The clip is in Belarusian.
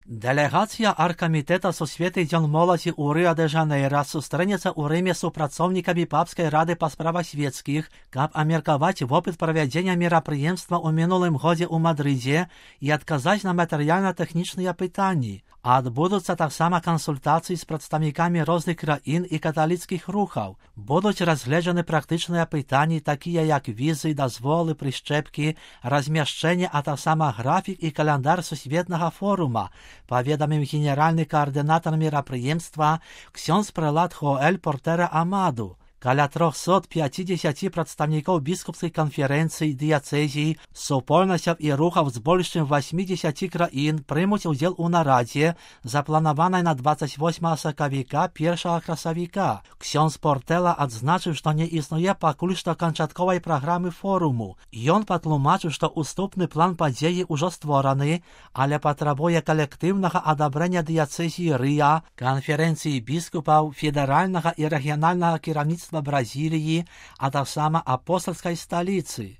Делегація Аргкамітэта Сусветний дзень моладзі ў Рыа-дэ-Жанейра сустрэнецца ў Рыме з супрацоўнікамі Папскай рады па справах светскіх, каб абмеркаваць вопыт правядзення мерапрыемства ў мінулым годзе ў Мадрыдзе і адказаць на матэрыяльна-тэхнічныя пытанні. Адбудуцца таксама кансультацыі з прадстаўнікамі розных краін і каталіцкіх рухаў. Будуць разгледжаны практычныя пытанні, такія як візы, дазволы, прышчэпкі, размяшчэнне, а таксама графік і каляндар сусветнага форума, паведаміў генеральны каардынатар мерапрыемства ксёндз прэлат Хоэль Портера Амаду. Каля 350 прадстаўнікоў біскупскай канферэнцыі, дыяцэзій, супольнасцяў і рухаў з больш чым 80 краін прымуць удзел у нарадзе, запланаванай на 28 сакавіка 1 красавіка. Ксёндз Портела адзначыў, што не існуе пакуль што канчатковай праграмы форуму. Ён патлумачыў, што уступны план падзеі ўжо створаны, але патрабуе калектыўнага адабрання дыяцэзіі Рыа, канферэнцыі біскупаў, федэральнага і рэгіянальнага кіраўніцтва Бразіліі, а таксама апостольскай сталіцы.